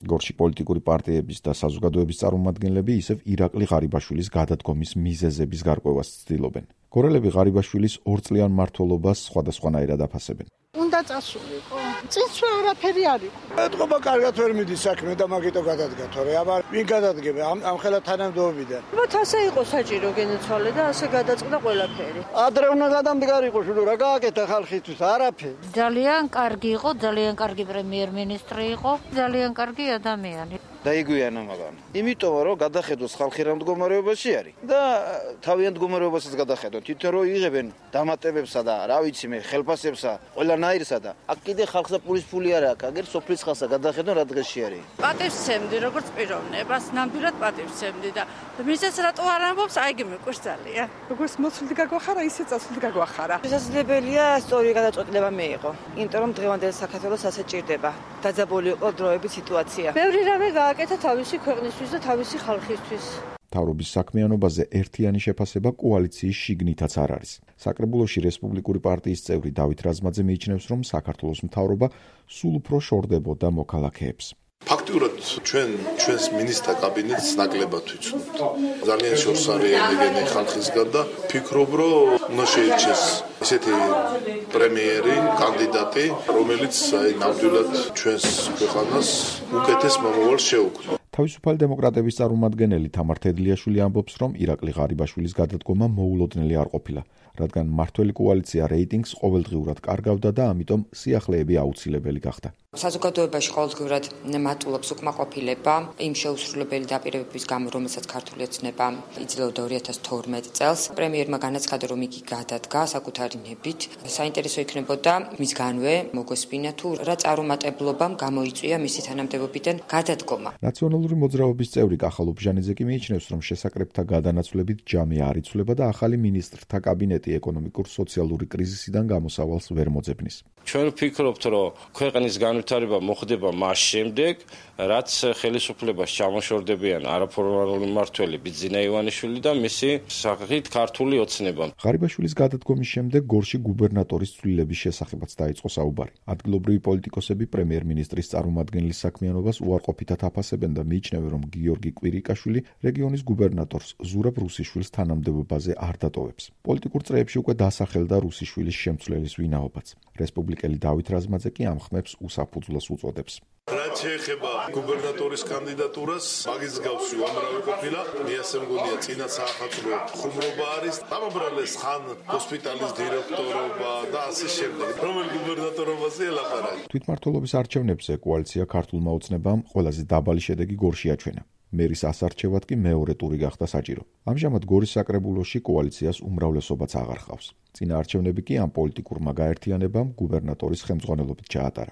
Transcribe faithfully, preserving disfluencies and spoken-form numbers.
გორში პოლიტიკური პარტიების და საზოგადოების წარმომადგენლები ისევ ირაკლი ღარიბაშვილის გადადგომის მიზეზების გარკვევას ცდილობენ. გორელები ღარიბაშვილის ორწლიან მმართველობას სხვადასხვანაირად აფასებენ. უნდა წასულიყო. წინსვლა არაფერი არ იყო. ეთყობა კარგად ვერ მიდის საქმე და მაგიტო გადადგა თორე აბა ვინ გადადგება ამ ამ ხელა თანამდებობიდან. მათ ასე იყო საჭირო გენეცვალე და ასე გადაწყდა ყველაფერი. ადრე უნდა გადამდგარიყო შულო რა გააკეთა ხალხისთვის არაფერი. ძალიან კარგი იყო, ძალიან კარგი პრემიერ-მინისტრი იყო, ძალიან კარგი ადამიანი. დაიგვიანა მაგან. იმიტომ რომ გადახედოს ხალხი რა მდგომარეობაში არის და თავიანთ მდგომარეობასაც გადახედონ. თვითონ რომ იღებენ დამატებებსა და რა ვიცი მე ხელფასებსა, ყველანაირსა და აქ კიდე ხალხსა პულის ფული არ აქვს, აგერ სოფლის ხალხსა გადახედონ რა დღეში არის. პატივს ვცემდი როგორც პიროვნებას, ნამდვილად პატივს ვცემდი და მისეს რატო არ ამბობს, აიგი მეკვირს ძალიან. როგორც მოცულდი გაგვახარა, ისე წასულდი გაგვახარა. შესაძლებელია სწორი გადაწყვეტილება მიიღო, იმიტომ რომ დღევანდელ საქართველოს ასე ჭირდება. დაძაბული იყო დროების სიტუაცია. ბევრი რამე გააკეთა თავისი ქვეყნისთვის და თავისი ხალხისთვის. მთავრობის საქმიანობაზე ერთიანი შეფასება კოალიციის შიგნითაც არ არის. საკრებულოში რესპუბლიკური პარტიის წევრი დავით რაზმაძე მიიჩნევს, რომ საქართველოს მთავრობა სულ უფრო შორდებოდა მოქალაქეებს. ფაქტიურად ჩვენ ჩვენს მინისტრთა კაბინეტს ნაკლებად ვიცნობთ. ძალიან შორს არის ენეგენი ხალხისგან და ფიქრობ, რომ უნდა შეირჩეს ესეთი პრემიერი, კანდიდატი, რომელიც აი ნამდვილად ჩვენს ქვეყანას უკეთეს მომავალს შეუქმნა. თავისუფალი დემოკრატების წარმომადგენელი თამარ თედლიაშვილი ამბობს, რომ ირაკლი ღარიბაშვილის გადადგომა მოულოდნელი არ ყოფილა, რადგან მმართველი კოალიცია რეიტინგს ყოველდღიურად კარგავდა და ამიტომ სიახლეები აუცილებელი გახდა. საზოგადოებაში ყოველდღიურად მატულობს უკმაყოფილება იმ შეუსრულებელი დაპირებების გამო, რომელსაც ქართული ოცნება იძლეოდა ორი ათას თორმეტ წელს. პრემიერმა განაცხადა, რომ იგი გადადგა საკუთარი ნებით. საინტერესო იქნებოდა მისგანვე მოგვესმინა თუ რა წარუმატებლობამ გამოიწვია მისი თანამდებობიდან გადადგომა. ნაციონალური მოძრაობის წევრი კახალო ბჟანიძე კი მიიჩნევს, რომ შესაკრებთა გადანაცვლებით ჯამი არ იცვლება და ახალი მინისტრთა კაბინეტი ეკონომიკურ-სოციალური კრიზისიდან გამოსავალს ვერ მოძებნის. ჩვენ ვფიქრობთ, რომ ქვეყნის განვითარება მოხდება მას შემდეგ, რაც ხელისუფლებას ჩამოშორდებიან არაფორმალური მმართველი ბიძინა ივანიშვილი და მისი სახით ქართული ოცნება. ღარიბაშვილის გადადგომის შემდეგ გორში გუბერნატორის ცვლილების შესახებაც დაიწყო საუბარი. ადგილობრივი პოლიტიკოსები პრემიერ-მინისტრის წარმომადგენლის საქმიანობას უარყოფითად აფასებენ და მიიჩნევენ, რომ გიორგი კვირიკაშვილი რეგიონის გუბერნატორს ზურაბ რუსიშვილის თანამდებობაზე არ დატოვებს. პოლიტიკურ წრეებში უკვე დასახელდა რუსიშვილის შემცვლელის ვინაობაც. რესპუბლიკელი დავით რაზმაძე კი ამ ხმებს უსაფუძვლოს უწოდებს. რაც შეეხება გუბერნატორის კანდიდატურას, მაგის გავსი უამრავი ყოფილა, მე ასე მგონია წინა საახალწლო ხუმრობა არის, ამაბრალეს ხან ჰოსპიტალის დირექტორობა და ასე შემდეგ. რომელი გუბერნატორობაზე ელაპარაკი. თვითმმართველობის არჩევნებზე კოალიცია ქართულმა ოცნებამ ყველაზე დაბალი შედეგი გორში აჩვენა. მერის ასარჩევად კი მეორე ტური გახდა საჭირო. ამჟამად გორის საკრებულოში კოალიციას უმრავლესობაც აღარ ჰყავს. წინა არჩევნები კი ამ პოლიტიკურმა გაერთიანებამ გუბერნატორის ხელმძღვანელობით ჩაატარა.